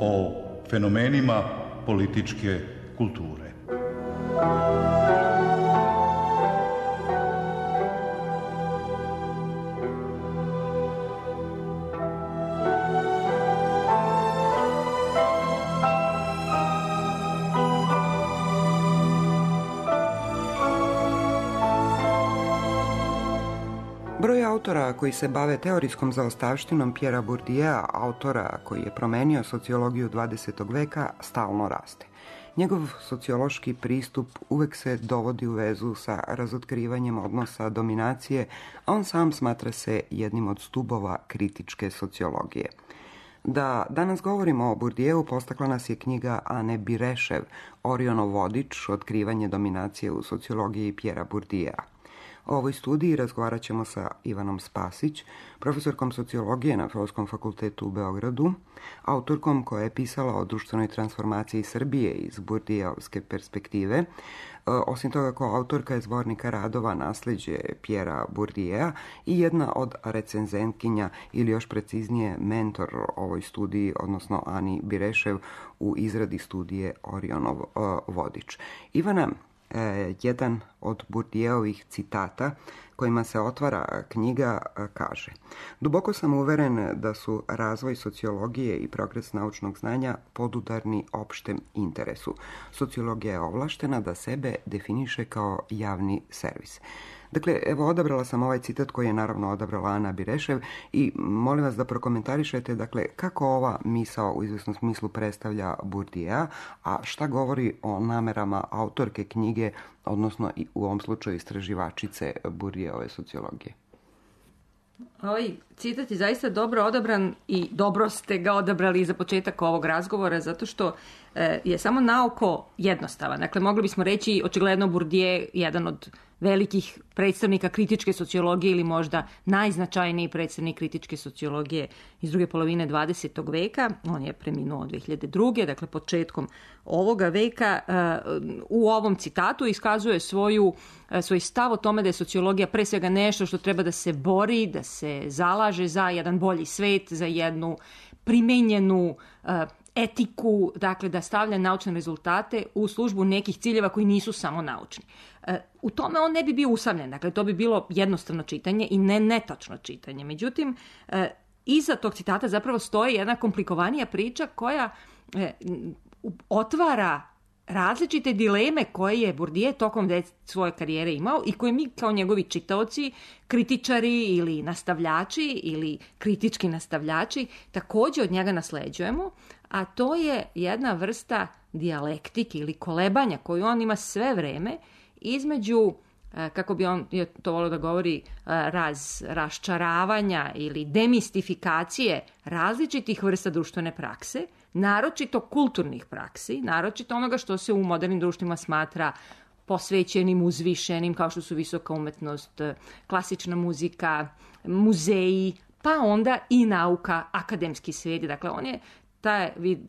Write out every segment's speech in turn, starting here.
o fenomenima političke kulture. Broj autora koji se bave teorijskom zaostavštinom Pierrea Bourdieu'a, autora koji je promenio sociologiju 20. veka, stalno raste. Njegov sociološki pristup uvek se dovodi u vezu sa razotkrivanjem odnosa dominacije, a on sam smatra se jednim od stubova kritičke sociologije. Da danas govorimo o Bourdieu'u postakla nas je knjiga Ane Birešev, Orionov vodič, otkrivanje dominacije u sociologiji Pierrea Bourdieu'a. O ovoj studiji razgovarat ćemo sa Ivanom Spasić, profesorkom sociologije na Filozofskom fakultetu u Beogradu, autorkom koja je pisala o društvenoj transformaciji Srbije iz Bourdieu'ovske perspektive. Osim toga, kao autorka je zbornika radova Nasleđe Pierrea Bourdieu'a i jedna od recenzentkinja ili još preciznije mentor ovoj studiji, odnosno Ani Birešev u izradi studije Orionov vodič. Ivana, jedan od Bourdieu'ovih citata kojima se otvara knjiga kaže: "Duboko sam uveren da su razvoj sociologije i progres naučnog znanja podudarni opštem interesu. Sociologija je ovlaštena da sebe definiše kao javni servis." Dakle, evo, odabrala sam ovaj citat koji je naravno odabrala Ana Birešev i molim vas da prokomentarišete, dakle, kako ova misao u izvesnom smislu predstavlja Bourdieu'a, a šta govori o namerama autorke knjige, odnosno i u ovom slučaju istraživačice Bourdieu'ove sociologije. Ovaj citat je zaista dobro odabran i dobro ste ga odabrali za početak ovog razgovora, zato što je samo naoko jednostavan. Dakle, mogli bismo reći, očigledno Bourdieu jedan od velikih predstavnika kritičke sociologije ili možda najznačajniji predstavnik kritičke sociologije iz druge polovine 20. veka. On je preminuo 2002. Dakle, početkom ovoga veka. U ovom citatu iskazuje svoj stav o tome da je sociologija pre svega nešto što treba da se bori, da se zalaže za jedan bolji svet, za jednu primenjenu etiku, dakle da stavlja naučne rezultate u službu nekih ciljeva koji nisu samo naučni. U tome on ne bi bio usamljen, dakle to bi bilo jednostavno čitanje i netačno čitanje. Međutim, iza tog citata zapravo stoji jedna komplikovanija priča koja otvara različite dileme koje je Bourdieu tokom svoje karijere imao i koje mi kao njegovi čitaoci, kritičari ili nastavljači ili kritički nastavljači također od njega nasleđujemo, a to je jedna vrsta dijalektike ili kolebanja koju on ima sve vreme između, kako bi on to volio da govori, raščaravanja ili demistifikacije različitih vrsta društvene prakse, naročito kulturnih praksi, naročito onoga što se u modernim društvima smatra posvećenim, uzvišenim, kao što su visoka umetnost, klasična muzika, muzeji, pa onda i nauka, akademski svijet. Dakle, on je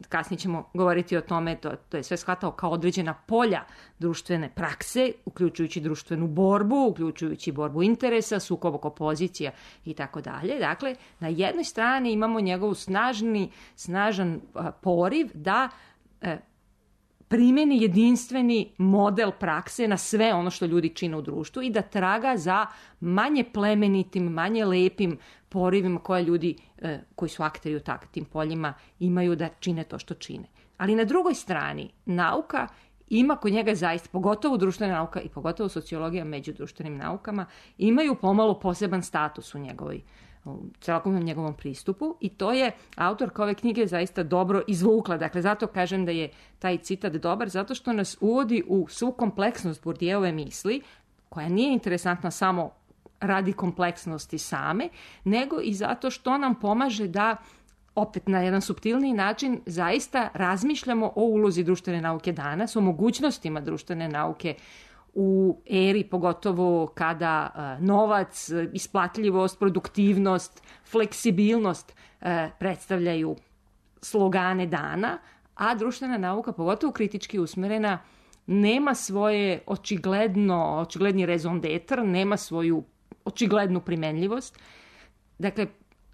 kasnije ćemo govoriti o tome, to je sve shvatao kao određena polja društvene prakse, uključujući društvenu borbu, uključujući borbu interesa, sukob oko pozicija i tako dalje. Dakle, na jednoj strani imamo njegov snažan poriv da primeni jedinstveni model prakse na sve ono što ljudi čine u društvu i da traga za manje plemenitim, manje lepim porivima koje ljudi koji su akteri u tim poljima imaju da čine to što čine. Ali na drugoj strani nauka ima kod njega zaista, pogotovo društvena nauka i pogotovo sociologija među društvenim naukama, imaju pomalo poseban status u celokupnom njegovom pristupu i to je autorka ove knjige zaista dobro izvukla. Dakle, zato kažem da je taj citat dobar, zato što nas uvodi u svu kompleksnost Bourdieuove misli, koja nije interesantna samo radi kompleksnosti same, nego i zato što nam pomaže da opet na jedan suptilniji način zaista razmišljamo o ulozi društvene nauke danas, o mogućnostima društvene nauke u eri, pogotovo kada novac, isplatljivost, produktivnost, fleksibilnost predstavljaju slogane dana, a društvena nauka, pogotovo kritički usmerena, nema svoje očigledni raison d'être, nema svoju očiglednu primenljivost. Dakle,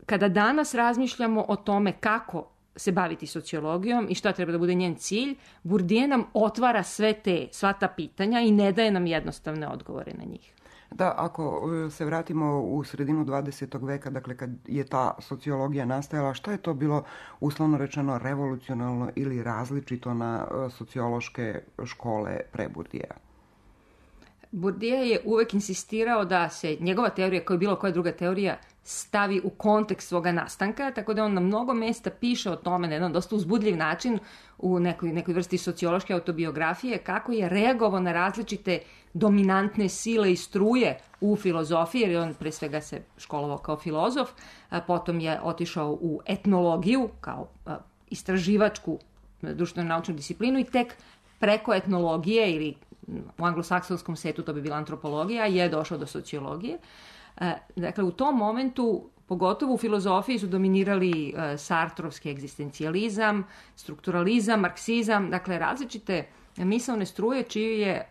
kada danas razmišljamo o tome kako se baviti sociologijom i šta treba da bude njen cilj, Bourdieu nam otvara sva ta pitanja i ne daje nam jednostavne odgovore na njih. Da, ako se vratimo u sredinu 20. veka, dakle kad je ta sociologija nastajala, šta je to bilo uslovno rečeno revolucionalno ili različito na sociološke škole pre Bourdiea? Bourdieu je uvek insistirao da se njegova teorija, kao i bilo koja druga teorija, stavi u kontekst svoga nastanka, tako da on na mnogo mesta piše o tome na jedan dosta uzbudljiv način u nekoj vrsti sociološke autobiografije, kako je reagovao na različite dominantne sile i struje u filozofiji, jer on pre svega se školovao kao filozof, a potom je otišao u etnologiju kao istraživačku društveno-naučnu disciplinu i tek preko etnologije ili u anglosaksonskom svetu to bi bila antropologija, je došao do sociologije. Dakle, u tom momentu, pogotovo u filozofiji, su dominirali sartrovski egzistencijalizam, strukturalizam, marksizam, dakle različite misaone struje čiju je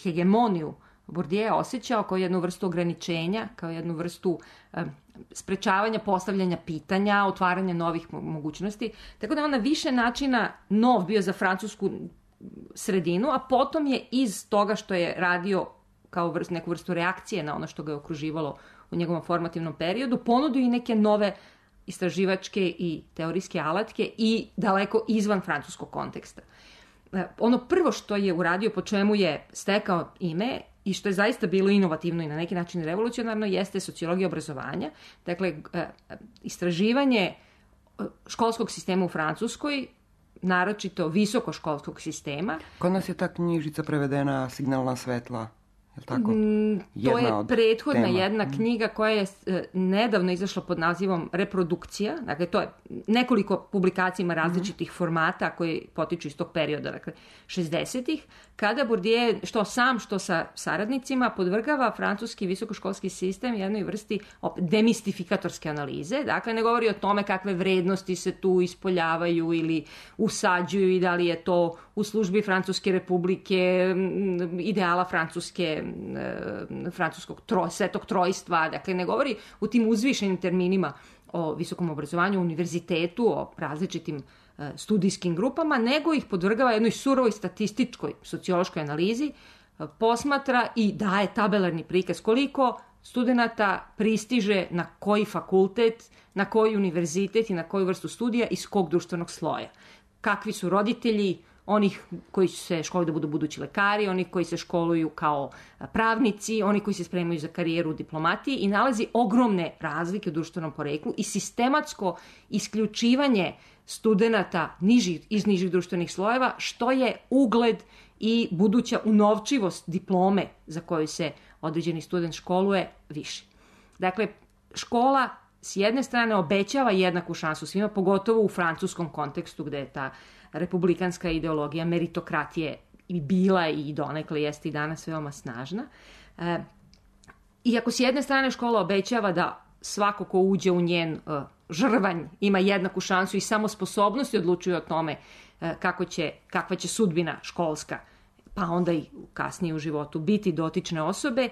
hegemoniju Bourdieu osjećao kao jednu vrstu ograničenja, kao jednu vrstu sprečavanja postavljanja pitanja, otvaranja novih mogućnosti. Tako da on na više načina nov bio za francusku sredinu, a potom je iz toga što je radio kao neku vrstu reakcije na ono što ga je okruživalo u njegovom formativnom periodu, ponudio i neke nove istraživačke i teorijske alatke i daleko izvan francuskog konteksta. Ono prvo što je uradio, po čemu je stekao ime i što je zaista bilo inovativno i na neki način revolucionarno, jeste sociologija obrazovanja. Dakle, istraživanje školskog sistema u Francuskoj, naročito visokoškolskog sistema. Kod nas je ta knjižica prevedena Signalna svetla. Tako? To je prethodna jedna knjiga koja je nedavno izašla pod nazivom Reprodukcija. Dakle, to je nekoliko publikacija ima različitih formata koji potiču iz tog perioda, dakle 60-ih, kada Bourdieu što sam, što sa saradnicima podvrgava francuski visokoškolski sistem jednoj vrsti demistifikatorske analize. Dakle, ne govori o tome kakve vrednosti se tu ispoljavaju ili usađuju i da li je to u službi Francuske republike, ideala francuskog svetog trojstva. Dakle, ne govori u tim uzvišenim terminima o visokom obrazovanju, univerzitetu, o različitim studijskim grupama, nego ih podvrgava jednoj surovoj statističkoj sociološkoj analizi, posmatra i daje tabelarni prikaz koliko studenata pristiže na koji fakultet, na koji univerzitet i na koju vrstu studija iz kog društvenog sloja. Kakvi su roditelji onih koji se školuju da budu budući lekari, onih koji se školuju kao pravnici, oni koji se spremaju za karijeru u diplomatiji i nalazi ogromne razlike u društvenom poreklu i sistematsko isključivanje studenata iz nižih društvenih slojeva, što je ugled i buduća unovčivost diplome za koju se određeni student školuje više. Dakle, škola s jedne strane obećava jednaku šansu svima, pogotovo u francuskom kontekstu gde je ta republikanska ideologija meritokratije i bila i donekle jeste i danas veoma snažna. Iako s jedne strane škola obećava da svako ko uđe u njen žrvanj ima jednaku šansu i samo sposobnosti odlučuju o tome kakva će sudbina školska, pa onda i kasnije u životu biti dotične osobe,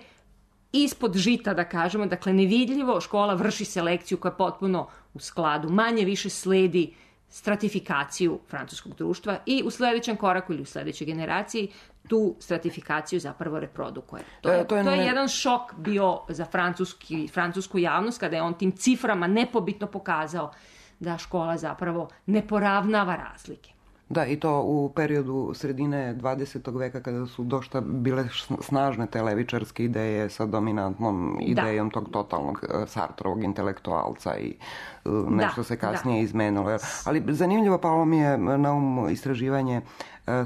ispod žita, da kažemo, dakle nevidljivo škola vrši selekciju koja je potpuno u skladu, manje više sledi stratifikaciju francuskog društva i u sledećem koraku ili u sledećoj generaciji tu stratifikaciju zapravo reprodukuje. To je jedan šok bio za francusku javnost kada je on tim ciframa nepobitno pokazao da škola zapravo ne poravnava razlike. Da, i to u periodu sredine 20. veka kada su dosta bile snažne te levičarske ideje sa dominantnom idejom tog totalnog Sartrovog intelektualca i nešto se kasnije izmenilo. Ali zanimljivo palo mi je na istraživanje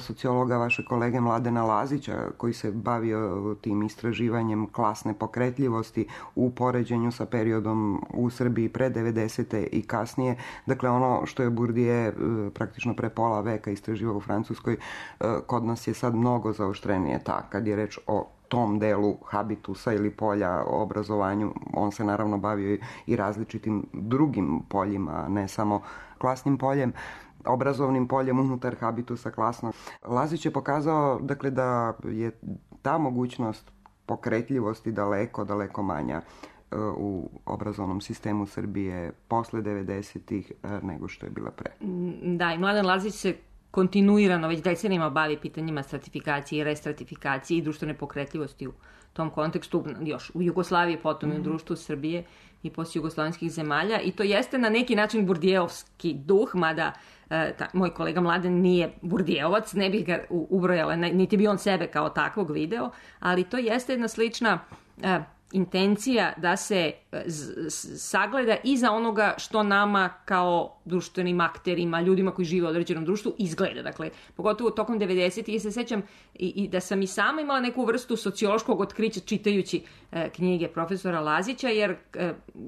sociologa vaše kolege Mladena Lazića koji se bavio tim istraživanjem klasne pokretljivosti u poređenju sa periodom u Srbiji pre 90. i kasnije. Dakle, ono što je Bourdieu praktično pre pola veka istraživao u Francuskoj, kod nas je sad mnogo zaoštrenije kad je reč o tom delu habitusa ili polja o obrazovanju. On se naravno bavio i različitim drugim poljima, ne samo klasnim poljem, obrazovnim poljem unutar habitusa klasnog. Lazić je pokazao dakle, da je ta mogućnost pokretljivosti daleko manja u obrazovnom sistemu Srbije posle 90-ih nego što je bila pre. Da, i Mladen Lazić se kontinuirano već decenijama bavi pitanjima stratifikacije i restratifikacije i društvene pokretljivosti u tom kontekstu, još u Jugoslaviji, potom i u društvu Srbije i poslije jugoslovenskih zemalja. I to jeste na neki način Burdijevski duh, mada moj kolega Mladen nije Burdijevac, ne bih ga ubrojala, niti bi on sebe kao takvog video, ali to jeste jedna slična intencija da se sagleda iza onoga što nama kao društvenim akterima, ljudima koji žive u određenom društvu izgleda. Dakle, pogotovo tokom 90-ih se sećam i da sam i sama imala neku vrstu sociološkog otkrića čitajući knjige profesora Lazića, jer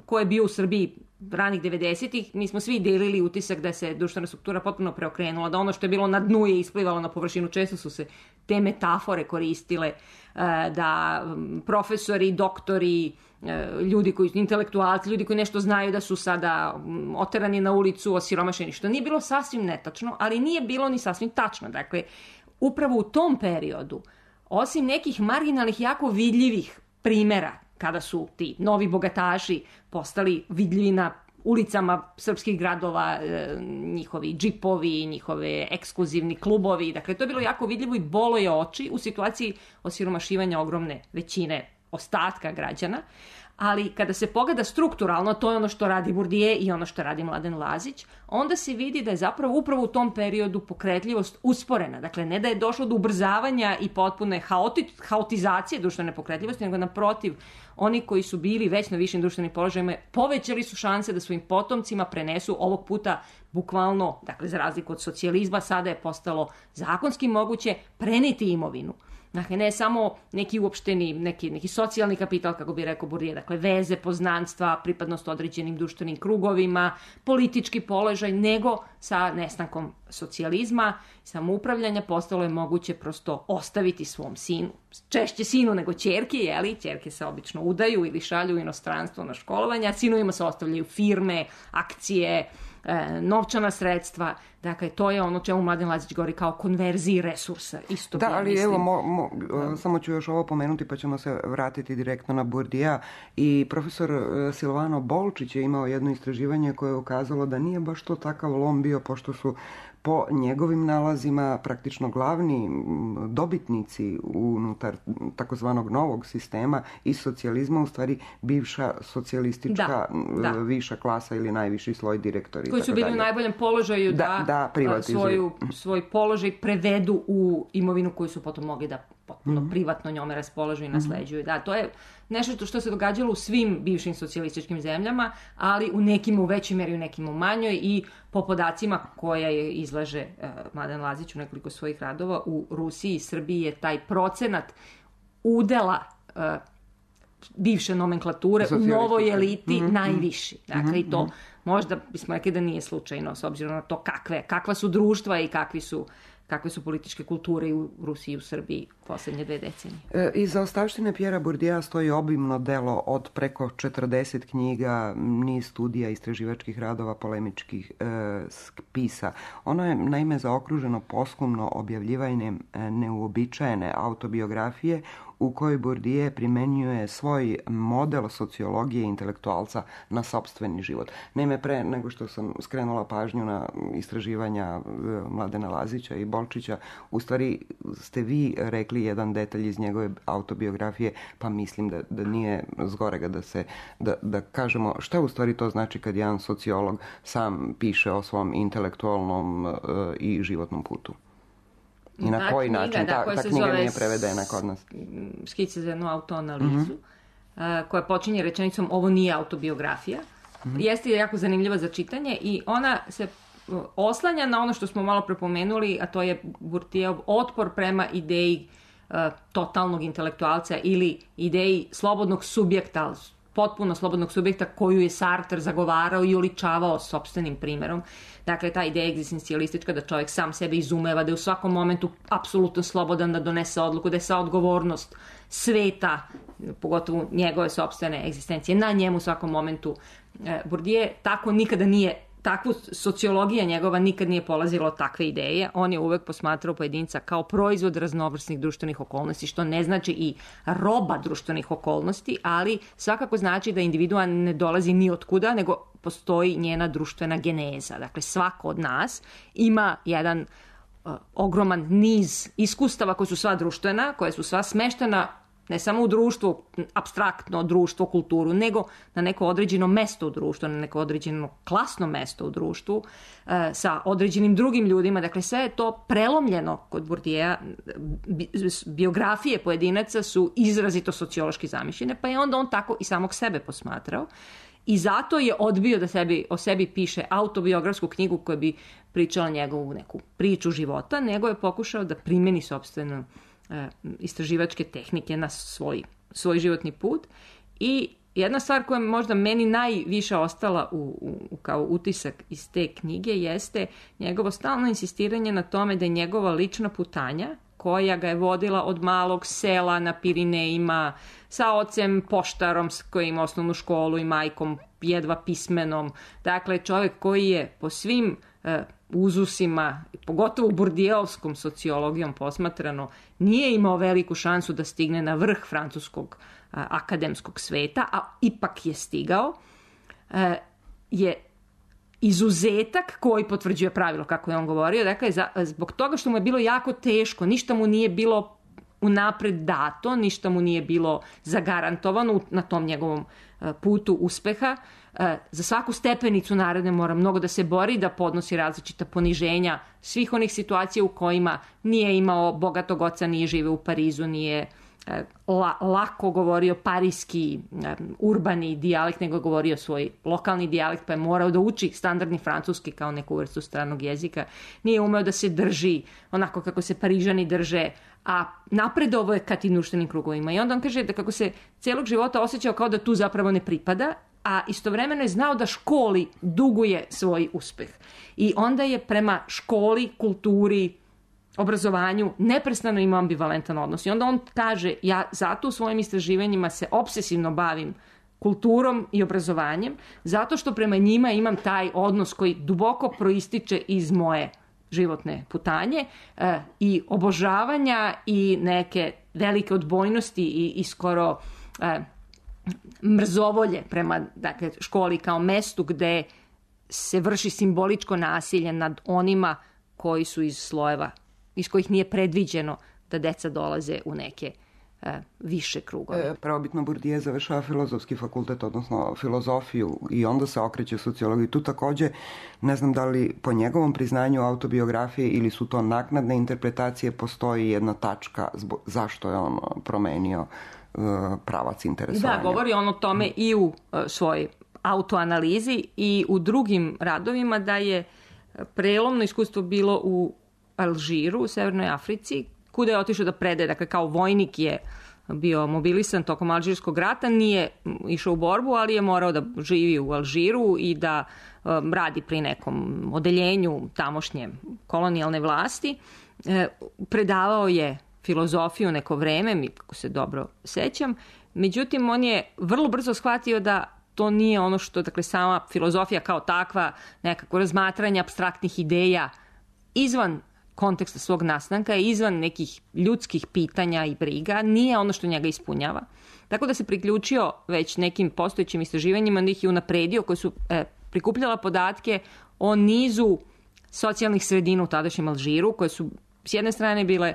ko je bio u Srbiji ranih 90-ih, mi smo svi delili utisak da se društvena struktura potpuno preokrenula, da ono što je bilo na dnu je isplivalo na površinu. Često su se te metafore koristile, da profesori, doktori, ljudi koji su intelektualci, ljudi koji nešto znaju da su sada oterani na ulicu, osiromašeni, što nije bilo sasvim netačno, ali nije bilo ni sasvim tačno. Dakle, upravo u tom periodu, osim nekih marginalnih, jako vidljivih primera, kada su ti novi bogataši postali vidljivi na ulicama srpskih gradova, njihovi džipovi, njihove ekskluzivni klubovi. Dakle, to je bilo jako vidljivo i bolo je oči u situaciji osiromašivanja ogromne većine ostatka građana. Ali kada se pogleda strukturalno, to je ono što radi Burdije i ono što radi Mladen Lazić, onda se vidi da je zapravo upravo u tom periodu pokretljivost usporena. Dakle, ne da je došlo do ubrzavanja i potpune haotizacije društvene pokretljivosti, nego naprotiv, oni koji su bili već na višim društvenim položajima povećali su šanse da svojim potomcima prenesu ovog puta bukvalno, dakle za razliku od socijalizma, sada je postalo zakonski moguće preneti imovinu. Dakle, ne samo neki uopšteni, neki socijalni kapital, kako bi rekao Burdije, dakle veze, poznanstva, pripadnost određenim društvenim krugovima, politički položaj, nego sa nestankom socijalizma, samoupravljanja postalo je moguće prosto ostaviti svom sinu, češće sinu nego ćerki, jeli? Ćerke se obično udaju ili šalju u inostranstvo na školovanje, a sinovima se ostavljaju firme, akcije, novčana sredstva. Dakle, to je ono čemu Mladen Lazić govori kao konverziji resursa. Isto da, ali mislim. Evo, samo ću još ovo pomenuti pa ćemo se vratiti direktno na Burdija. I profesor Silvano Bolčić je imao jedno istraživanje koje je ukazalo da nije baš to takav lom bio, pošto su po njegovim nalazima praktično glavni dobitnici unutar takozvanog novog sistema i socijalizma u stvari bivša socijalistička viša klasa ili najviši sloj direktori. Koji su bili u najboljem položaju da svoj položaj prevedu u imovinu koju su potom mogli da potpuno privatno njome raspolažu i nasleđuju. Da, to je nešto što se događalo u svim bivšim socijalističkim zemljama, ali u nekim u većoj meri, u nekim u manjoj, i po podacima koja je izlaže Mladen Lazić u nekoliko svojih radova, u Rusiji i Srbiji je taj procenat udela bivše nomenklature u novoj eliti najviši. Dakle, i to možda bismo rekli da nije slučajno, s obzirom na to kakva su društva i kakve su političke kulture u Rusiji i u Srbiji poslednje 2 decenije. Iza ostavštine Pjera Burdija stoji obimno delo od preko 40 knjiga, niz studija, istraživačkih radova, polemičkih spisa. Ono je naime zaokruženo posthumno objavljivanjem neuobičajene autobiografije u kojoj Burdije primenjuje svoj model sociologije intelektualca na sopstveni život. Naime, pre nego što sam skrenula pažnju na istraživanja Mladena Lazića i Bolčića, u stvari ste vi rekli jedan detalj iz njegove autobiografije, pa mislim da nije zgorega da kažemo šta u stvari to znači kad jedan sociolog sam piše o svom intelektualnom i životnom putu. I na koji način ta knjiga nije prevedena kod nas? Skice za jednu autoanalizu, koja počinje rečenicom ovo nije autobiografija. Jeste jako zanimljiva za čitanje i ona se oslanja na ono što smo malo prepomenuli, a to je Burdijev otpor prema ideji totalnog intelektualca ili ideji slobodnog subjekta, potpuno slobodnog subjekta koju je Sartre zagovarao i oličavao sopstvenim primjerom. Dakle, ta ideja egzistencijalistička da čovjek sam sebe izumeva, da je u svakom momentu apsolutno slobodan da donese odluku, da je sva odgovornost sveta, pogotovo njegove sopstvene egzistencije, na njemu u svakom momentu. Burdije tako nikada nije takvu sociologija njegova nikad nije polazila od takve ideje. On je uvek posmatrao pojedinca kao proizvod raznovrsnih društvenih okolnosti, što ne znači i roba društvenih okolnosti, ali svakako znači da individua ne dolazi ni od kuda, nego postoji njena društvena geneza. Dakle, svako od nas ima jedan ogroman niz iskustava koja su sva društvena, koja su sva smeštena ne samo u društvu, apstraktno društvo, kulturu, nego na neko određeno mesto u društvu, na neko određeno klasno mesto u društvu, sa određenim drugim ljudima. Dakle, sve je to prelomljeno kod Bourdieu'a. Biografije pojedinaca su izrazito sociološki zamišljene, pa je onda on tako i samog sebe posmatrao. I zato je odbio da o sebi piše autobiografsku knjigu koja bi pričala njegovu neku priču života, nego je pokušao da primeni sopstveno istraživačke tehnike na svoj životni put. I jedna stvar koja je možda meni najviše ostala kao utisak iz te knjige jeste njegovo stalno insistiranje na tome da je njegova lična putanja, koja ga je vodila od malog sela na Pirinejima, sa ocem poštarom s kojim osnovnu školu i majkom jedva pismenom. Dakle, čovjek koji je po svim uzusima, pogotovo Bourdieuovskom sociologijom posmatrano, nije imao veliku šansu da stigne na vrh francuskog akademskog sveta, a ipak je stigao, je izuzetak koji potvrđuje pravilo, kako je on govorio. Dakle, zbog toga što mu je bilo jako teško, ništa mu nije bilo unapred dato, ništa mu nije bilo zagarantovano na tom njegovom putu uspeha. Za svaku stepenicu naredne mora mnogo da se bori, da podnosi različita poniženja svih onih situacija u kojima nije imao bogatog oca, nije živeo u Parizu, nije lako govorio parijski urbani dijalekt, nego govorio svoj lokalni dijalekt, pa je morao da uči standardni francuski kao neku vrstu stranog jezika. Nije umeo da se drži onako kako se Parižani drže, a napredovo je ka tim društvenim krugovima. I onda on kaže da kako se celog života osjećao kao da tu zapravo ne pripada, a istovremeno je znao da školi duguje svoj uspeh. I onda je prema školi, kulturi, obrazovanju neprestano imao ambivalentan odnos. I onda on kaže, ja zato u svojim istraživanjima se obsesivno bavim kulturom i obrazovanjem, zato što prema njima imam taj odnos koji duboko proističe iz moje životne putanje i obožavanja i neke velike odbojnosti i skoro mrzovolje prema školi kao mestu gde se vrši simboličko nasilje nad onima koji su iz slojeva iz kojih nije predviđeno da deca dolaze u neke više krugove. Prvobitno Bourdieu završava filozofski fakultet, odnosno filozofiju, i onda se okreće sociologiji. Tu takođe, ne znam da li po njegovom priznanju autobiografije ili su to naknadne interpretacije, postoji jedna tačka zašto je on promenio pravac interesovanja. Da, govori on o tome i u svojoj autoanalizi i u drugim radovima, da je prelomno iskustvo bilo u Alžiru, u Severnoj Africi, kuda je otišao da predaje, dakle kao vojnik je bio mobilisan tokom Alžirskog rata, nije išao u borbu, ali je morao da živi u Alžiru i da radi pri nekom odeljenju tamošnje kolonijalne vlasti. Predavao je filozofiju neko vreme, kako se dobro sećam, međutim on je vrlo brzo shvatio da to nije ono što, dakle, sama filozofija kao takva, nekako razmatranje apstraktnih ideja izvan konteksta svog nastanka, izvan nekih ljudskih pitanja i briga, nije ono što njega ispunjava. Tako da se priključio već nekim postojećim istraživanjima, da ih je unapredio, koji su prikupljala podatke o nizu socijalnih sredina u tadašnjem Alžiru, koje su s jedne strane bile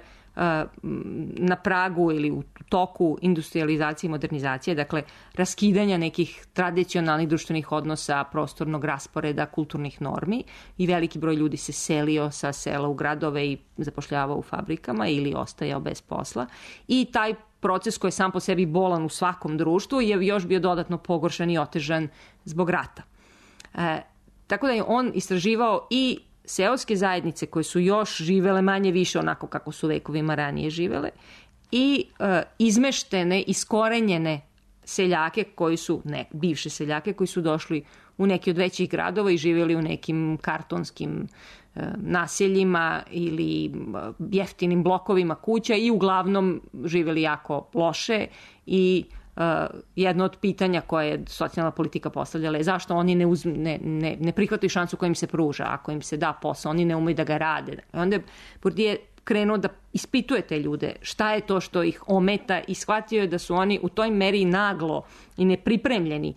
na pragu ili u toku industrializacije i modernizacije, dakle raskidanja nekih tradicionalnih društvenih odnosa, prostornog rasporeda, kulturnih normi, i veliki broj ljudi se selio sa sela u gradove i zapošljavao u fabrikama ili ostajao bez posla. I taj proces koji je sam po sebi bolan u svakom društvu je još bio dodatno pogoršan i otežan zbog rata. Tako da je on istraživao i seoske zajednice koje su još živele manje više onako kako su vekovima ranije živele, i izmeštene, iskorenjene seljake koji su, bivše seljake koji su došli u neki od većih gradova i živjeli u nekim kartonskim naseljima ili jeftinim blokovima kuća i uglavnom živjeli jako loše i jedno od pitanja koje je socijalna politika postavljala je zašto oni ne prihvataju šansu koja im se pruža, ako im se da posao, oni ne umeju da ga rade. Onda je Bourdieu krenuo da ispituje te ljude, šta je to što ih ometa i shvatio je da su oni u toj meri naglo i nepripremljeni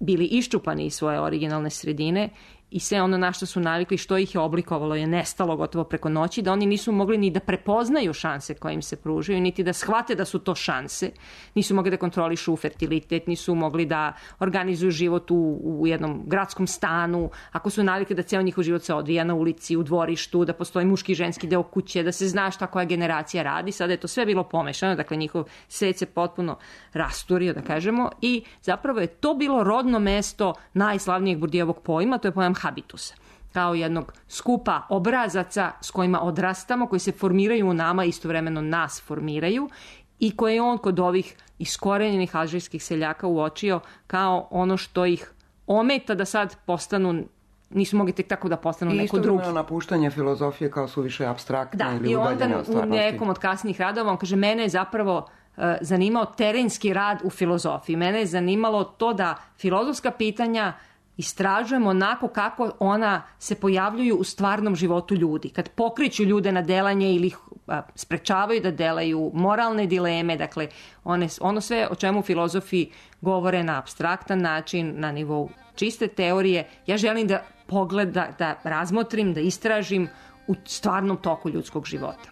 bili iščupani iz svoje originalne sredine i sve ono na što su navikli, što ih je oblikovalo je nestalo gotovo preko noći, da oni nisu mogli ni da prepoznaju šanse koje im se pružaju, niti da shvate da su to šanse, nisu mogli da kontrolišu fertilitet, nisu mogli da organizuju život u jednom gradskom stanu, ako su navikli da ceo njihov život se odvija na ulici, u dvorištu, da postoji muški i ženski deo kuće, da se zna šta koja generacija radi, sada je to sve bilo pomešano, dakle njihov svet se potpuno rasturio, da kažemo, i zapravo je to bilo rodno mesto najslavnijeg Bourdieuovog pojma, to je pojam habitusa, kao jednog skupa obrazaca s kojima odrastamo, koji se formiraju u nama, istovremeno nas formiraju i koje je on kod ovih iskorenjenih alžirskih seljaka uočio kao ono što ih ometa da sad postanu, nisu mogli tek tako da postanu neko drugi. I istovremeno napuštanje filozofije kao su više apstraktne ili udaljene od stvarnosti. Da, i onda u nekom od kasnijih radova on kaže, mene je zapravo zanimao terenski rad u filozofiji. Mene je zanimalo to da filozofska pitanja istražujemo onako kako ona se pojavljuju u stvarnom životu ljudi. Kad pokreću ljude na delanje ili ih sprečavaju da delaju, moralne dileme, dakle ono sve o čemu filozofi govore na apstraktan način, na nivou čiste teorije, ja želim da da razmotrim, da istražim u stvarnom toku ljudskog života.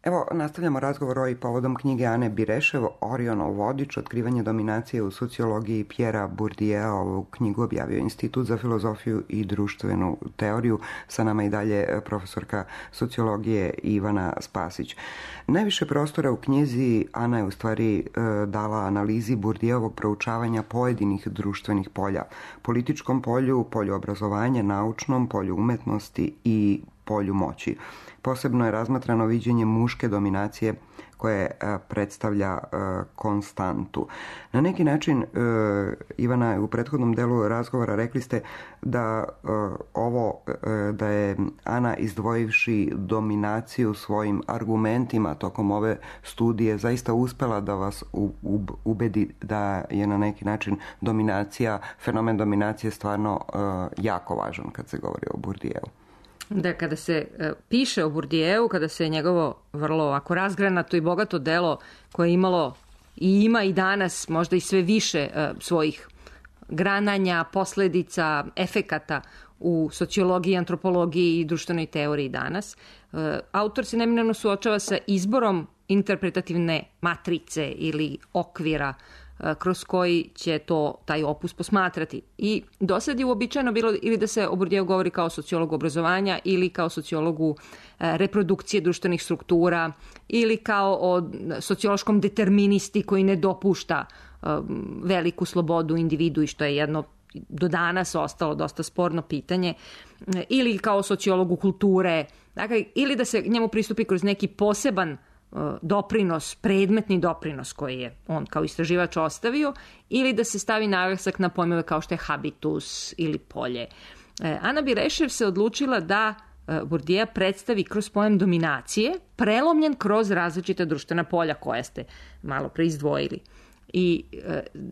Evo, nastavljamo razgovor ovaj povodom knjige Ane Birešev, Orionov vodič, otkrivanje dominacije u sociologiji Pierra Bourdieu. Ovu knjigu objavio Institut za filozofiju i društvenu teoriju. Sa nama i dalje profesorka sociologije Ivana Spasić. Najviše prostora u knjizi Ana je u stvari dala analizi Bourdieuovog proučavanja pojedinih društvenih polja. Političkom polju, polju obrazovanja, naučnom, polju umetnosti i polju moći. Posebno je razmatrano viđenje muške dominacije koje predstavlja konstantu. Na neki način, Ivana, u prethodnom delu razgovora rekli ste da da je Ana, izdvojivši dominaciju svojim argumentima tokom ove studije, zaista uspela da vas ubedi da je na neki način fenomen dominacije stvarno jako važan kad se govori o Bourdieu. Da, kada se piše o Bourdieu, kada se njegovo vrlo ovako razgranato i bogato delo koje je imalo i ima i danas možda i sve više svojih grananja, posledica, efekata u sociologiji, antropologiji i društvenoj teoriji danas, autor se neminovno suočava sa izborom interpretativne matrice ili okvira kroz koji će taj opus posmatrati. I do sad je uobičajeno bilo ili da se o Bourdieu govori kao sociologu obrazovanja ili kao sociologu reprodukcije društvenih struktura ili kao o sociološkom deterministi koji ne dopušta veliku slobodu individu i što je jedno do danas ostalo dosta sporno pitanje, ili kao sociologu kulture, dakle, ili da se njemu pristupi kroz neki poseban doprinos, predmetni doprinos koji je on kao istraživač ostavio, ili da se stavi naglasak na pojmove kao što je habitus ili polje. Ana Birešev se odlučila da Bourdieu predstavi kroz pojam dominacije, prelomljen kroz različita društvena polja koja ste malo pre izdvojili. I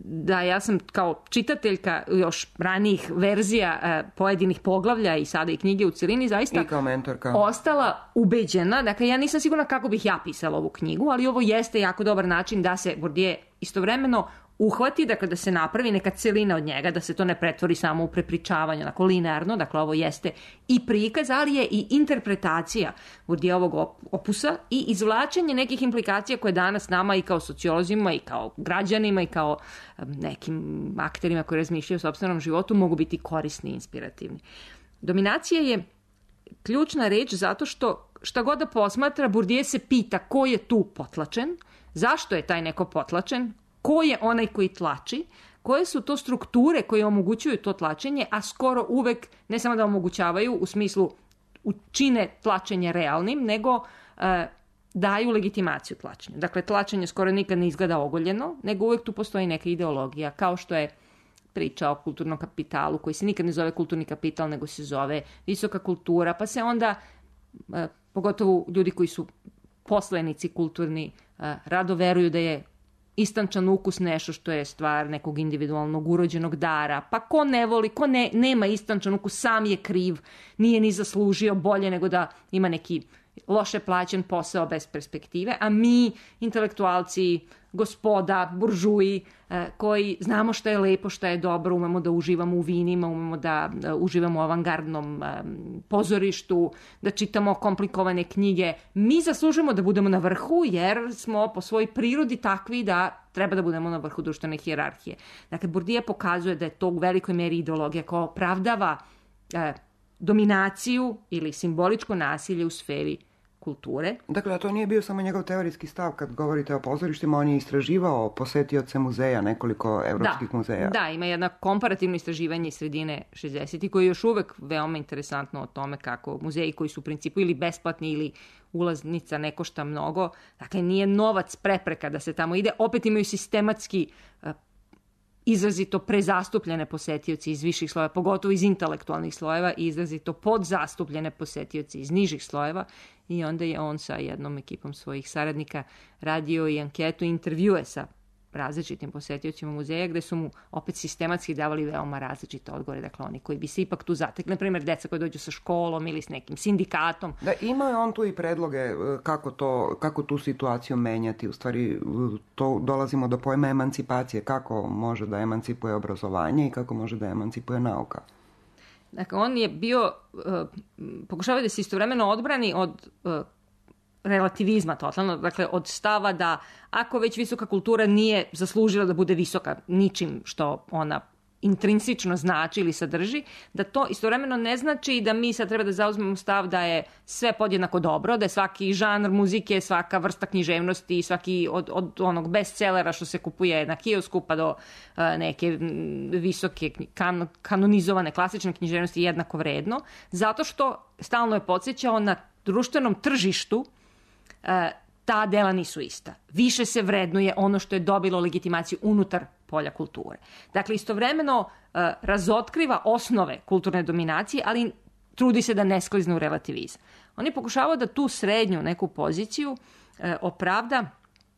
da, ja sam kao čitateljka još ranijih verzija pojedinih poglavlja i sada i knjige u celini zaista i kao mentorka ostala ubeđena. Dakle, ja nisam sigurna kako bih ja pisala ovu knjigu, ali ovo jeste jako dobar način da se Bourdieu istovremeno uhvati, dakle da se napravi neka celina od njega, da se to ne pretvori samo u prepričavanje, onako linearno, dakle ovo jeste i prikaz, ali je i interpretacija Bourdieuovog opusa i izvlačenje nekih implikacija koje danas nama i kao sociolozima i kao građanima i kao nekim akterima koji razmišljaju o sopstvenom životu mogu biti korisni i inspirativni. Dominacija je ključna reč zato što šta god da posmatra, Bourdieu se pita ko je tu potlačen, zašto je taj neko potlačen, ko je onaj koji tlači, koje su to strukture koje omogućuju to tlačenje, a skoro uvek ne samo da omogućavaju u smislu čine tlačenje realnim, nego daju legitimaciju tlačenju. Dakle, tlačenje skoro nikad ne izgleda ogoljeno, nego uvek tu postoji neka ideologija, kao što je priča o kulturnom kapitalu, koji se nikad ne zove kulturni kapital, nego se zove visoka kultura, pa se onda, pogotovo ljudi koji su poslenici kulturni, rado veruju da je istančan ukus nešto što je stvar nekog individualnog urođenog dara. Pa ko ne voli, ko nema istančan ukus, sam je kriv, nije ni zaslužio bolje nego da ima neki loše plaćen posao bez perspektive, a mi, intelektualci, gospoda, buržuji, koji znamo šta je lepo, šta je dobro, umemo da uživamo u vinima, umemo da uživamo u avangardnom pozorištu, da čitamo komplikovane knjige. Mi zaslužujemo da budemo na vrhu jer smo po svojoj prirodi takvi da treba da budemo na vrhu društvene hijerarhije. Dakle, Bourdieu pokazuje da je to u velikoj meri ideologija koja opravdava dominaciju ili simboličko nasilje u sferi kulture. Dakle, a to nije bio samo njegov teorijski stav kad govorite o pozorištima, on je istraživao posetioce muzeja, nekoliko evropskih muzeja. Da, ima jedno komparativno istraživanje iz sredine 60-ih koje je još uvek veoma interesantno o tome kako muzeji koji su u principu ili besplatni ili ulaznica ne košta mnogo, dakle nije novac prepreka da se tamo ide, opet imaju sistematski izrazito prezastupljene posetioci iz viših slojeva, pogotovo iz intelektualnih slojeva, i izrazito podzastupljene posetioci iz nižih slojeva, i onda je on sa jednom ekipom svojih saradnika radio i anketu i intervjue sa različitim posetiocima muzeja, gde su mu opet sistematski davali veoma različite odgovore, dakle oni koji bi se ipak tu zatekli, na primjer deca koji dođu sa školom ili s nekim sindikatom. Da, ima je on tu i predloge kako tu situaciju menjati, u stvari to dolazimo do pojma emancipacije, kako može da emancipuje obrazovanje i kako može da emancipuje nauka. Dakle, on je bio, pokušavao da se istovremeno odbrani od relativizma totalno, dakle od stava da ako već visoka kultura nije zaslužila da bude visoka ničim što ona intrinsično znači ili sadrži, da to istovremeno ne znači da mi sad treba da zauzmemo stav da je sve podjednako dobro, da je svaki žanr muzike, svaka vrsta književnosti, svaki od onog bestsellera što se kupuje na kiosku pa do neke visoke kanonizovane klasične književnosti jednako vredno, zato što stalno je podsjećao na društvenom tržištu ta dela nisu ista. Više se vrednuje ono što je dobilo legitimaciju unutar polja kulture. Dakle, istovremeno razotkriva osnove kulturne dominacije, ali trudi se da ne sklizne u relativizam. On je pokušavao da tu srednju neku poziciju opravda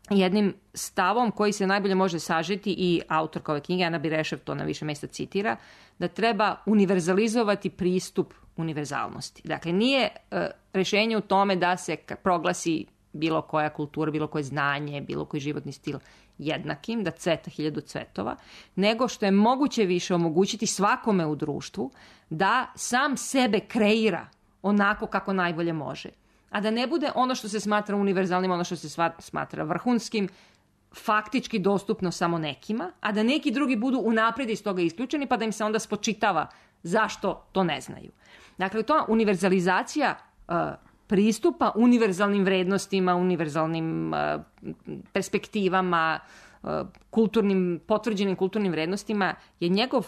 jednim stavom koji se najbolje može sažeti i autorka ove knjige, Ana Birešev to na više mjesta citira, da treba univerzalizovati pristup univerzalnosti. Dakle, nije rješenje u tome da se proglasi bilo koja kultura, bilo koje znanje, bilo koji životni stil jednakim, da cveta 1000 cvetova, nego što je moguće više omogućiti svakome u društvu da sam sebe kreira onako kako najbolje može. A da ne bude ono što se smatra univerzalnim, ono što se smatra vrhunskim, faktički dostupno samo nekima, a da neki drugi budu unaprijed iz toga isključeni, pa da im se onda spočitava zašto to ne znaju. Dakle, to univerzalizacija pristupa univerzalnim vrednostima, univerzalnim perspektivama, potvrđenim kulturnim vrednostima je njegov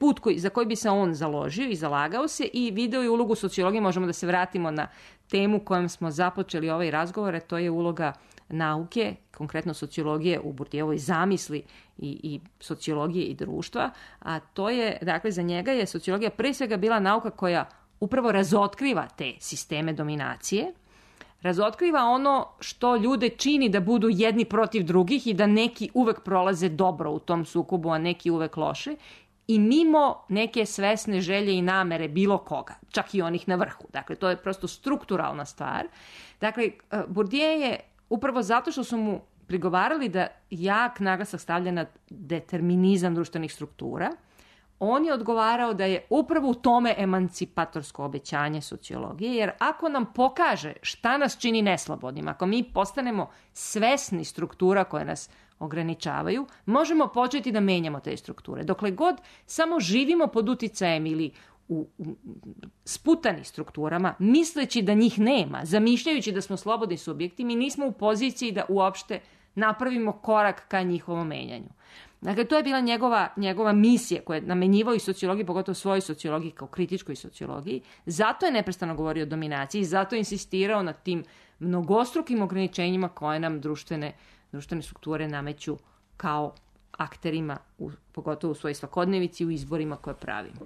put za koji bi se on založio i zalagao se i video je ulogu sociologije. Možemo da se vratimo na temu kojom smo započeli ovaj razgovor, a to je uloga nauke, konkretno sociologije u Bourdieuovoj zamisli i sociologije i društva, a to je, dakle, za njega je sociologija pre svega bila nauka koja upravo razotkriva te sisteme dominacije, razotkriva ono što ljude čini da budu jedni protiv drugih i da neki uvek prolaze dobro u tom sukobu, a neki uvek loše, i mimo neke svesne želje i namere bilo koga, čak i onih na vrhu. Dakle, to je prosto strukturalna stvar. Dakle, Bourdieu je upravo zato što su mu prigovarali da jak naglasak stavlja na determinizam društvenih struktura, on je odgovarao da je upravo u tome emancipatorsko obećanje sociologije, jer ako nam pokaže šta nas čini neslobodnim, ako mi postanemo svesni struktura koje nas ograničavaju, možemo početi da menjamo te strukture. Dokle god samo živimo pod uticajem ili u sputani strukturama, misleći da njih nema, zamišljajući da smo slobodni subjekti, mi nismo u poziciji da uopšte napravimo korak ka njihovom menjanju. Dakle, to je bila njegova misija koju je namenjivao i sociologiji, pogotovo svojoj sociologiji kao kritičkoj sociologiji. Zato je neprestano govorio o dominaciji, zato je insistirao na tim mnogostrukim ograničenjima koje nam društvene strukture nameću kao akterima, pogotovo u svojoj svakodnevici, u izborima koje pravimo.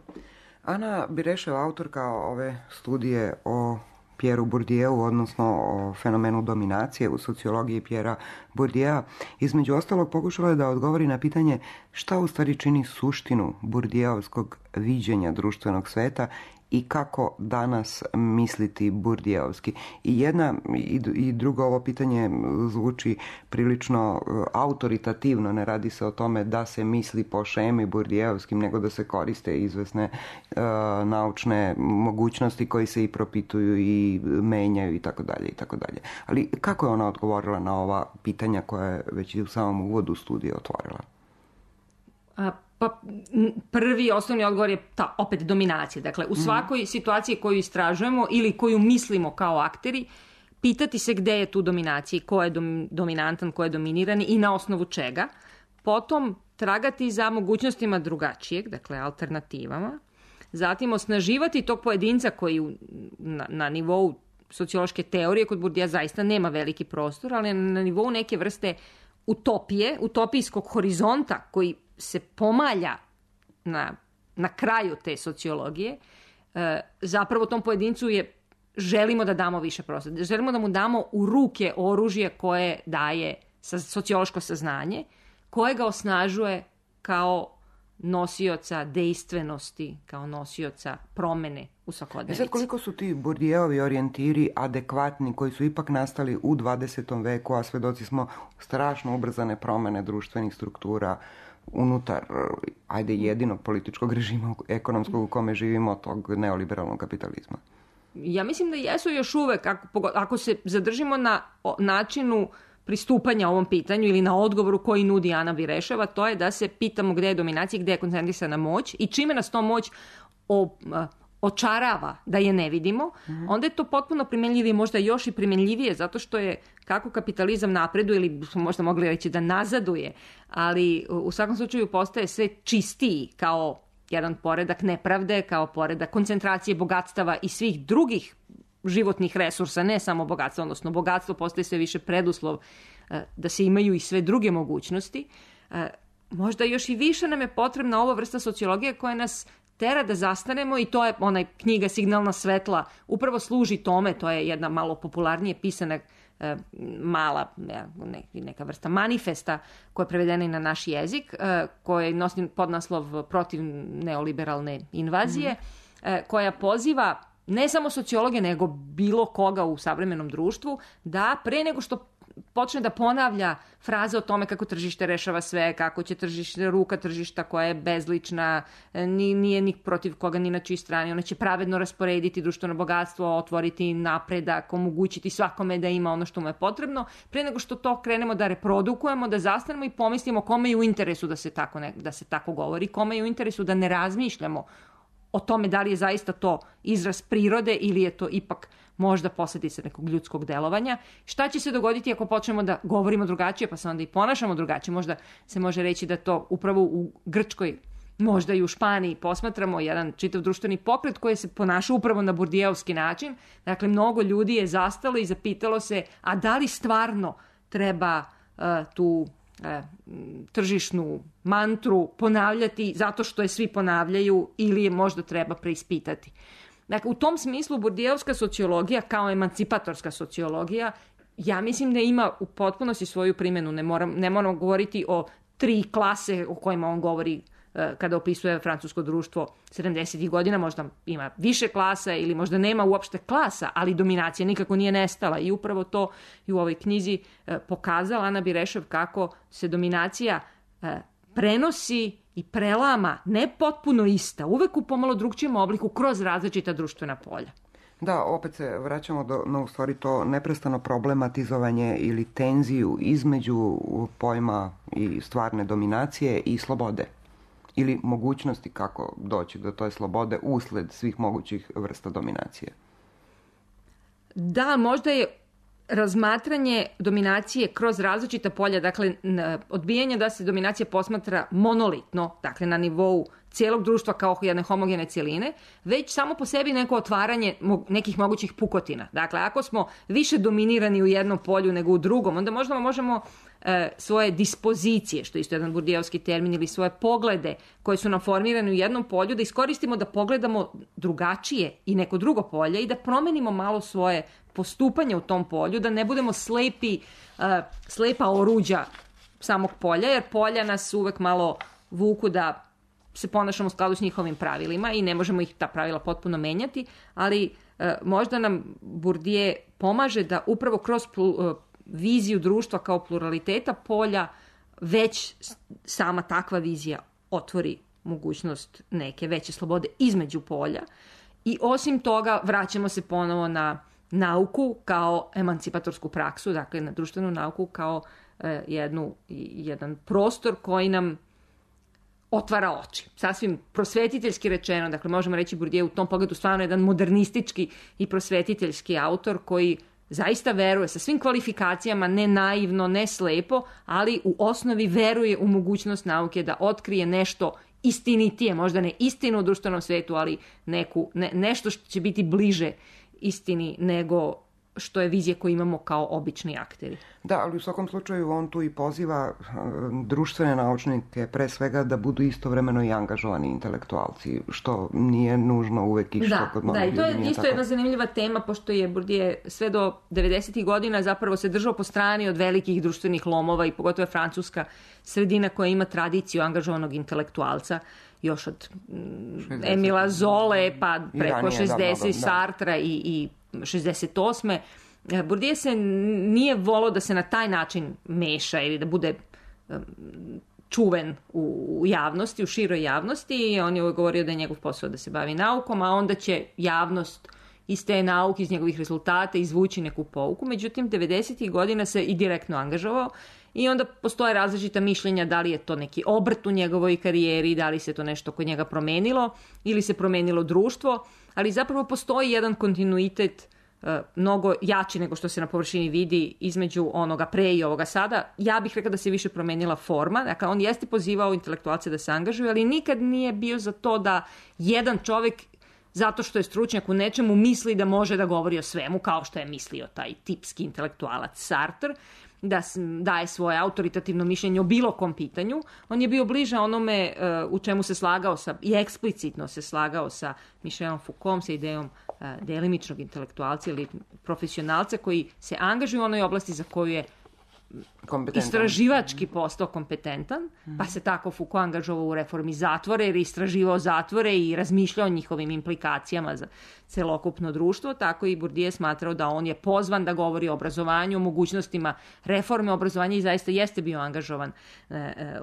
Ana Birešev, autorka ove studije o Pierreu Bourdieu, odnosno o fenomenu dominacije u sociologiji Pierrea Bourdieu, između ostalog pokušala je da odgovori na pitanje šta u stvari čini suštinu Bourdieuovskog viđenja društvenog sveta i kako danas misliti Bourdieuovski. I jedna i drugo ovo pitanje zvuči prilično autoritativno, ne radi se o tome da se misli po šemi Bourdieuovskim, nego da se koriste izvesne naučne mogućnosti koji se i propituju i menjaju i tako dalje i tako dalje. Ali kako je ona odgovorila na ova pitanja koja je već u samom uvodu studije otvorila? Pa prvi osnovni odgovor je opet dominacija. Dakle, u svakoj situaciji koju istražujemo ili koju mislimo kao akteri, pitati se gde je tu dominacija, ko je dominantan, ko je dominirani i na osnovu čega. Potom tragati za mogućnostima drugačijeg, dakle alternativama. Zatim osnaživati tog pojedinca koji na nivou sociološke teorije kod Bourdieu zaista nema veliki prostor, ali na nivou neke vrste utopije, utopijskog horizonta koji se pomalja na kraju te sociologije, zapravo tom pojedincu želimo da damo više prostora. Želimo da mu damo u ruke oružje koje daje sociološko saznanje, koje ga osnažuje kao nosioca dejstvenosti, kao nosioca promene u svakodnevici. Sad, koliko su ti Bourdieovi orijentiri adekvatni, koji su ipak nastali u 20. veku, a svedoci smo strašno ubrzane promene društvenih struktura unutar, jedinog političkog režima ekonomskog u kome živimo, tog neoliberalnog kapitalizma? Ja mislim da jesu još uvek, ako se zadržimo na načinu pristupanja ovom pitanju ili na odgovoru koji nudi Ana Bireševa, to je da se pitamo gde je dominacija, gde je koncentrisana moć i čime nas to moć očarava da je ne vidimo, onda je to potpuno primenljivije, možda još i primenljivije, zato što je kako kapitalizam napreduje, ili smo možda mogli reći da nazaduje, ali u svakom slučaju postaje sve čistiji kao jedan poredak nepravde, kao poredak koncentracije bogatstava i svih drugih životnih resursa, ne samo bogatstvo, odnosno bogatstvo postaje sve više preduslov da se imaju i sve druge mogućnosti. Možda još i više nam je potrebna ova vrsta sociologije koja nas tera da zastanemo i to je onaj knjiga Signalna svetla, upravo služi tome, to je jedna malo popularnije pisana mala neka vrsta manifesta koja je prevedena i na naš jezik, koja nosi podnaslov Protiv neoliberalne invazije, koja poziva ne samo sociologe, nego bilo koga u savremenom društvu, da pre nego što počne da ponavlja fraze o tome kako tržište rešava sve, kako će ruka tržišta koja je bezlična, nije ni protiv koga ni na čiji strani, ona će pravedno rasporediti društveno bogatstvo, otvoriti napredak, omogućiti svakome da ima ono što mu je potrebno, pre nego što to krenemo da reprodukujemo, da zastanemo i pomislimo kome je u interesu da se tako govori, kome je u interesu da ne razmišljamo o tome da li je zaista to izraz prirode ili je to ipak možda posljedica nekog ljudskog delovanja. Šta će se dogoditi ako počnemo da govorimo drugačije, pa se onda i ponašamo drugačije? Možda se može reći da to upravo u Grčkoj, možda i u Španiji posmatramo jedan čitav društveni pokret koji se ponaša upravo na burdijevski način. Dakle, mnogo ljudi je zastalo i zapitalo se, a da li stvarno treba tu tržišnu mantru ponavljati zato što je svi ponavljaju ili je možda treba preispitati. Dakle, u tom smislu burdijevska sociologija kao emancipatorska sociologija, ja mislim da ima u potpunosti svoju primjenu. Ne moramo govoriti o 3 klase o kojima on govori kada opisuje francusko društvo 70. godina, možda ima više klasa ili možda nema uopšte klasa, ali dominacija nikako nije nestala i upravo to i u ovoj knjizi pokazala Ana Birešev kako se dominacija prenosi i prelama, ne potpuno ista, uvek u pomalo drugčijem obliku kroz različita društvena polja. Da, opet se vraćamo na u stvari to neprestano problematizovanje ili tenziju između pojma i stvarne dominacije i slobode. Ili mogućnosti kako doći do toj slobode usled svih mogućih vrsta dominacije. Da, možda je razmatranje dominacije kroz različita polja, dakle odbijanje da se dominacija posmatra monolitno, dakle na nivou cijelog društva kao jedne homogene cjeline, već samo po sebi neko otvaranje nekih mogućih pukotina. Dakle, ako smo više dominirani u jednom polju nego u drugom, onda možda možemo svoje dispozicije, što je isto jedan burdijevski termin, ili svoje poglede koje su nam formirane u jednom polju, da iskoristimo da pogledamo drugačije i neko drugo polje i da promenimo malo svoje postupanje u tom polju, da ne budemo slepa oruđa samog polja, jer polja nas uvek malo vuku da se ponašamo u skladu s njihovim pravilima i ne možemo ih ta pravila potpuno menjati, ali možda nam Bourdieu pomaže da upravo kroz viziju društva kao pluraliteta polja već sama takva vizija otvori mogućnost neke veće slobode između polja i osim toga vraćamo se ponovo na nauku kao emancipatorsku praksu, dakle na društvenu nauku kao jedan prostor koji nam otvara oči. Sasvim prosvetiteljski rečeno, dakle možemo reći Bourdieu u tom pogledu stvarno jedan modernistički i prosvetiteljski autor koji zaista veruje sa svim kvalifikacijama, ne naivno, ne slepo, ali u osnovi veruje u mogućnost nauke da otkrije nešto istinitije, možda ne istinu u društvenom svetu, ali nešto što će biti bliže istini nego što je vizija koju imamo kao obični akteri. Da, ali u svakom slučaju on tu i poziva društvene naučnike pre svega da budu istovremeno i angažovani intelektualci, što nije nužno uvek i što kod mnogih ljudi nije tako. Da, i to je isto jedna zanimljiva tema, pošto je Bourdieu sve do 90. godina zapravo se držao po strani od velikih društvenih lomova i pogotovo je francuska sredina koja ima tradiciju angažovanog intelektualca još od Emila Zole pa preko 60 Sartra i 68. Bourdieu se nije volao da se na taj način meša ili da bude čuven u javnosti, u široj javnosti. On je govorio da je njegov posao da se bavi naukom, a onda će javnost iz te nauke, iz njegovih rezultata, izvući neku pouku. Međutim, 90. godina se i direktno angažovao i onda postoje različita mišljenja da li je to neki obrt u njegovoj karijeri, da li se to nešto kod njega promenilo ili se promenilo društvo, ali zapravo postoji jedan kontinuitet mnogo jači nego što se na površini vidi između onoga pre i ovoga sada. Ja bih rekla da se više promenila forma. Dakle, on jeste pozivao intelektualce da se angažuju, ali nikad nije bio za to da jedan čovjek, zato što je stručnjak u nečemu, misli da može da govori o svemu, kao što je mislio taj tipski intelektualac Sartre, da daje svoje autoritativno mišljenje o bilo kom pitanju. On je bio bliže onome u čemu se slagao i eksplicitno se slagao sa Michelom Foucaultom, sa idejom delimičnog intelektualca ili profesionalca koji se angažuje u onoj oblasti za koju je istraživački postao kompetentan, pa se tako Foucault angažovao u reformi zatvora jer je istraživao zatvore i razmišljao o njihovim implikacijama za celokupno društvo, tako i Bourdieu smatrao da on je pozvan da govori o obrazovanju, o mogućnostima reforme obrazovanja i zaista jeste bio angažovan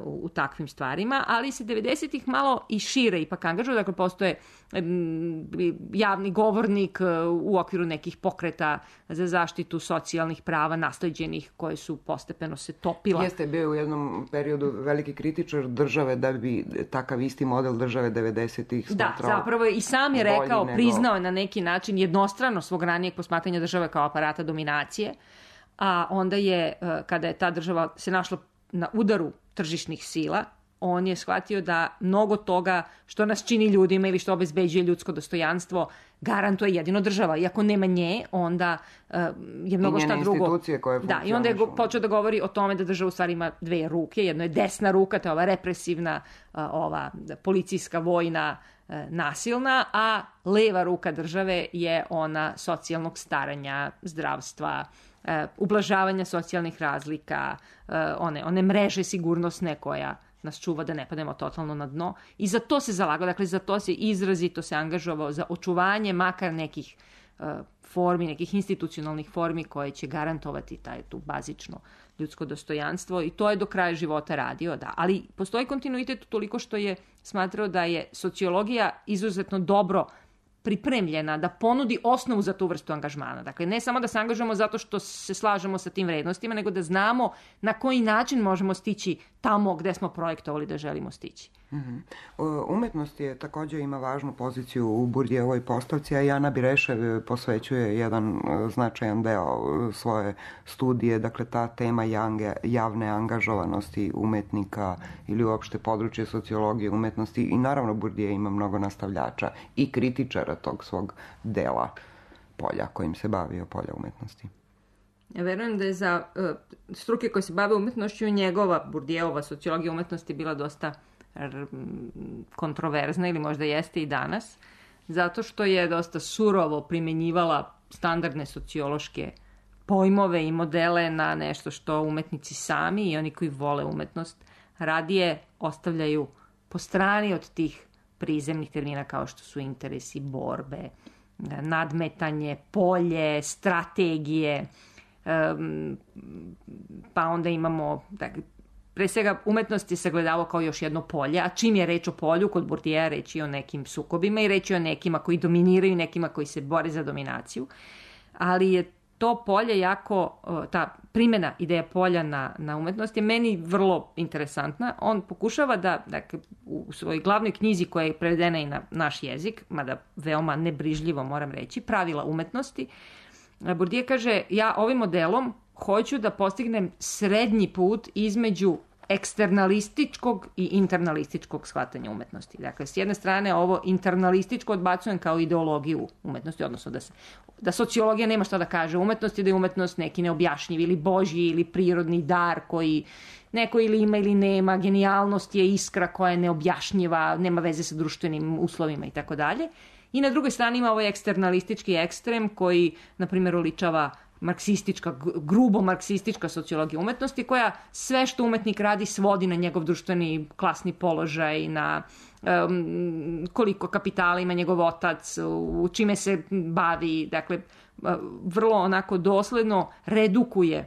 u takvim stvarima, ali se 90-ih malo i šire ipak angažovao, dakle postoje javni govornik u okviru nekih pokreta za zaštitu socijalnih prava nasleđenih koje su postepeno se topila. Jeste bio u jednom periodu veliki kritičar države da bi takav isti model države 90-ih smatrao. Da, zapravo i sam je rekao, priznao je na neki način jednostrano svog ranijeg posmatranja države kao aparata dominacije, a onda je, kada je ta država se našla na udaru tržišnih sila, on je shvatio da mnogo toga što nas čini ljudima ili što obezbeđuje ljudsko dostojanstvo garantuje jedino država. Iako nema nje, onda je mnogo šta drugo. I institucije koje funkcionišu. Da, i onda je počeo da govori o tome da država u stvari ima dve ruke. Jedno je desna ruka, to je ova represivna, ova policijska, vojna, nasilna, a leva ruka države je ona socijalnog staranja, zdravstva, ublažavanja socijalnih razlika, one mreže sigurnosne koja nas čuva da ne pademo totalno na dno. I za to se zalagao, dakle za to se izrazito se angažovao, za očuvanje makar nekih formi, nekih institucionalnih formi koje će garantovati tu bazično ljudsko dostojanstvo i to je do kraja života radio, da. Ali postoji kontinuitet toliko što je smatrao da je sociologija izuzetno dobro pripremljena da ponudi osnovu za tu vrstu angažmana. Dakle, ne samo da se angažujemo zato što se slažemo sa tim vrednostima, nego da znamo na koji način možemo stići tamo gde smo projektovali da želimo stići. Umetnost je također ima važnu poziciju u Bourdieuovoj postavci, a Jana Birešev posvećuje jedan značajan deo svoje studije, dakle ta tema javne angažovanosti umetnika ili uopšte područje sociologije umetnosti i naravno Bourdieu ima mnogo nastavljača i kritičara tog svog dela polja kojim se bavio, polja umetnosti. Ja verujem da je za struke koje se bave umetnošću njegova Bourdieuova sociologija umetnosti bila dosta kontroverzna ili možda jeste i danas, zato što je dosta surovo primenjivala standardne sociološke pojmove i modele na nešto što umetnici sami i oni koji vole umetnost radije ostavljaju po strani od tih prizemnih termina kao što su interesi, borbe, nadmetanje, polje, strategije, pa onda imamo pre svega umetnost je sagledavao kao još jedno polje, a čim je reč o polju, kod Bourdieu reč je o nekim sukobima i reč je o nekima koji dominiraju, nekima koji se bore za dominaciju, ali je to polje jako, ta primjena ideja polja na umetnost je meni vrlo interesantna. On pokušava da, dakle, u svojoj glavnoj knjizi koja je prevedena i na naš jezik, mada veoma nebrižljivo moram reći, Pravila umetnosti, Bourdieu kaže, ja ovim modelom hoću da postignem srednji put između eksternalističkog i internalističkog shvatanja umetnosti. Dakle, s jedne strane ovo internalističko odbacujem kao ideologiju umetnosti, odnosno da sociologija nema šta da kaže umetnosti, da je umetnost neki neobjašnjiv ili božji ili prirodni dar koji neko ili ima ili nema, genijalnost je iskra koja je neobjašnjiva, nema veze sa društvenim uslovima i tako dalje. I na drugoj strani ima ovaj eksternalistički ekstrem koji, na primjer, oličava grubo marksistička sociologija umetnosti koja sve što umetnik radi svodi na njegov društveni klasni položaj, na koliko kapitala ima njegov otac, u čime se bavi, dakle vrlo onako dosledno redukuje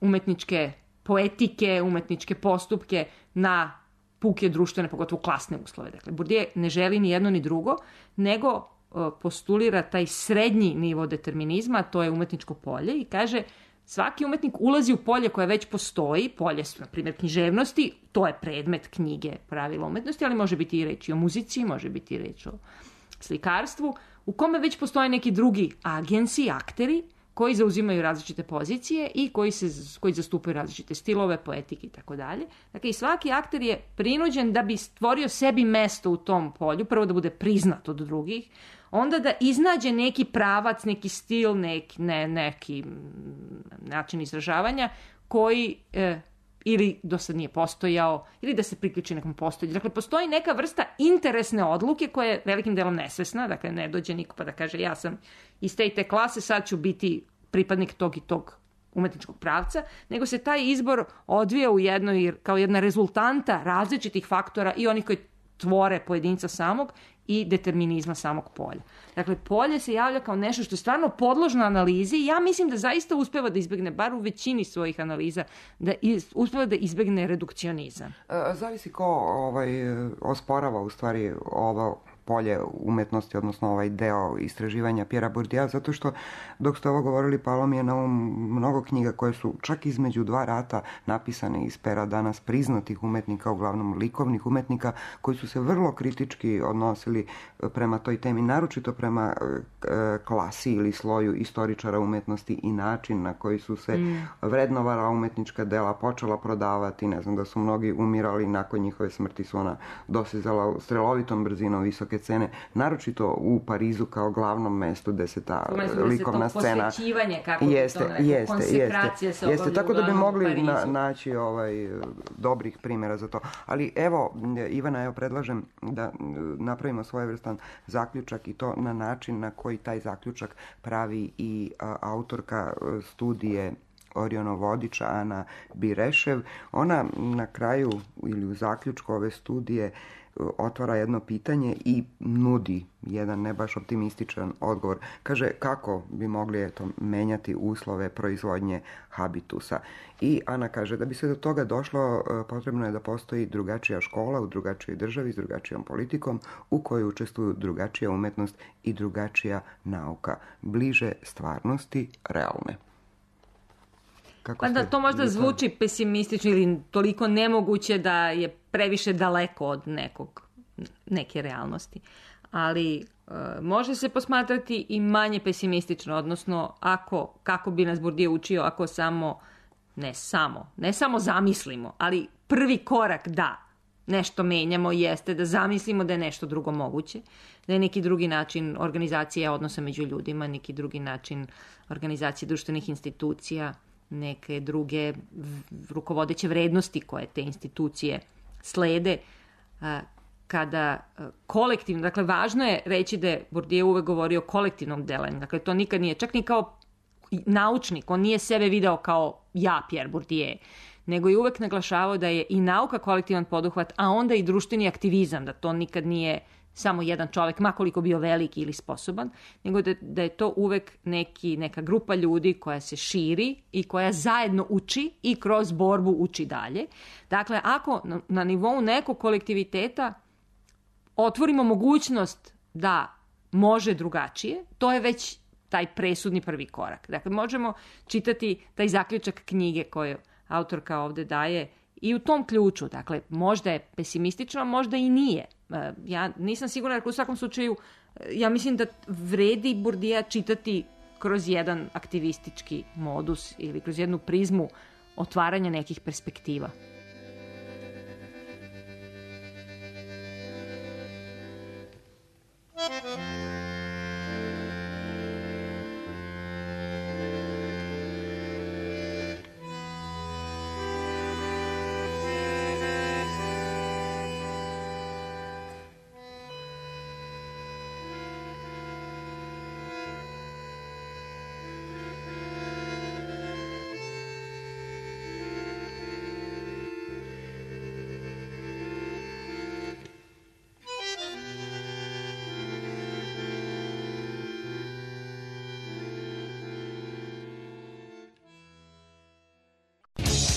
umetničke poetike, umetničke postupke na puke društvene, pogotovo klasne uslove. Dakle, Bourdieu ne želi ni jedno ni drugo, nego postulira taj srednji nivo determinizma, to je umetničko polje, i kaže svaki umetnik ulazi u polje koje već postoji, polje su, na primjer, književnosti, to je predmet knjige pravila umetnosti, ali može biti i reč o muzici, može biti i reč o slikarstvu, u kome već postoje neki drugi agensi, akteri, koji zauzimaju različite pozicije i koji zastupaju različite stilove, poetike i tako dalje. Dakle, i svaki akter je prinuđen da bi stvorio sebi mesto u tom polju, prvo da bude priznat od drugih, onda da iznađe neki pravac, neki stil, neki način izražavanja koji ili do sad nije postojao, ili da se priključi nekom postojanju. Dakle, postoji neka vrsta interesne odluke koja je velikim delom nesvesna, dakle, ne dođe niko pa da kaže ja sam iz te i te klase, sad ću biti pripadnik tog i tog umetničkog pravca, nego se taj izbor odvija u jednoj, kao jedna rezultanta različitih faktora i onih koji tvore pojedinca samog i determinizma samog polja. Dakle, polje se javlja kao nešto što je stvarno podložno analizi i ja mislim da zaista uspeva da izbegne, bar u većini svojih analiza, da uspeva da izbegne redukcionizam. Zavisi ko osporava u stvari ovo polje umetnosti, odnosno ovaj deo istraživanja Pjera Bourdieua, zato što dok ste ovo govorili, palo mi je na mnogo knjiga koje su čak između dva rata napisane iz pera danas priznatih umetnika, uglavnom likovnih umetnika, koji su se vrlo kritički odnosili prema toj temi, naročito prema klasi ili sloju istoričara umetnosti i način na koji su se vrednovala umetnička dela, počela prodavati, ne znam, da su mnogi umirali, nakon njihove smrti su ona dosezala strelovitom brzinom visoke cene, naročito u Parizu kao glavnom mestu gde se ta likovna scena posvećivanje, kako konsekracija se obavlja. Tako da bi mogli naći dobrih primjera za to. Ali evo, Ivana, predlažem da napravimo svojevrstan zaključak i to na način na koji taj zaključak pravi i autorka studije Orionov vodiča Ana Birešev. Ona na kraju ili u zaključku ove studije otvara jedno pitanje i nudi jedan ne baš optimističan odgovor. Kaže kako bi mogli menjati uslove proizvodnje habitusa. I Ana kaže da bi se do toga došlo, potrebno je da postoji drugačija škola u drugačijoj državi s drugačijom politikom u kojoj učestvuju drugačija umetnost i drugačija nauka. Bliže stvarnosti realne. Pa da to možda zvuči pesimistično ili toliko nemoguće da je previše daleko od neke realnosti. Ali može se posmatrati i manje pesimistično, odnosno kako bi nas Bourdieu učio ako ne samo zamislimo, ali prvi korak da nešto menjamo jeste da zamislimo da je nešto drugo moguće, da je neki drugi način organizacije odnosa među ljudima, neki drugi način organizacije društvenih institucija, neke druge rukovodeće vrednosti koje te institucije slede kada kolektivno, dakle važno je reći da je Bourdieu uvek govorio o kolektivnom delanju, dakle to nikad nije, čak ni kao naučnik, on nije sebe video kao ja, Pierre Bourdieu, nego je uvek naglašavao da je i nauka kolektivan poduhvat, a onda i društveni aktivizam, da to nikad nije samo jedan čovjek, makoliko bio veliki ili sposoban, nego da je to uvek neka grupa ljudi koja se širi i koja zajedno uči i kroz borbu uči dalje. Dakle, ako na nivou nekog kolektiviteta otvorimo mogućnost da može drugačije, to je već taj presudni prvi korak. Dakle, možemo čitati taj zaključak knjige koju autorka ovde daje i u tom ključu. Dakle, možda je pesimistično, možda i nije. Ja nisam sigurna, jer u svakom slučaju ja mislim da vredi Bourdieu čitati kroz jedan aktivistički modus ili kroz jednu prizmu otvaranja nekih perspektiva.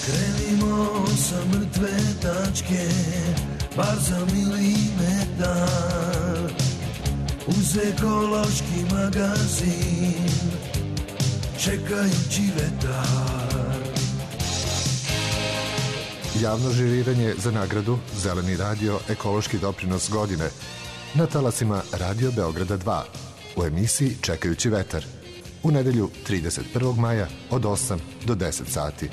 Krenimo sa mrtve tačke, bar za milimetar. Uz uz ekološki magazin, čekajući vetar. Javno žiriranje za nagradu Zeleni radio ekološki doprinos godine na talasima Radio Beograda 2 u emisiji Čekajući vetar u nedelju 31. maja od 8 do 10 sati.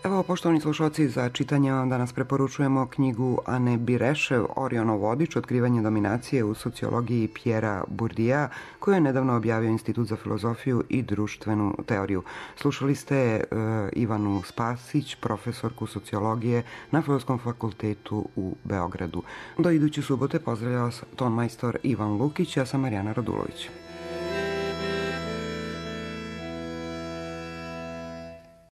Evo, poštovani slušalci, za čitanje vam danas preporučujemo knjigu Ane Birešev Orionov vodič, otkrivanje dominacije u sociologiji Pjera Burdija, koju je nedavno objavio Institut za filozofiju i društvenu teoriju. Slušali ste Ivanu Spasić, profesorku sociologije na Filozofskom fakultetu u Beogradu. Do iduće subote pozdravlja vas tonmajstor Ivan Lukić, ja sam Marijana Radulović.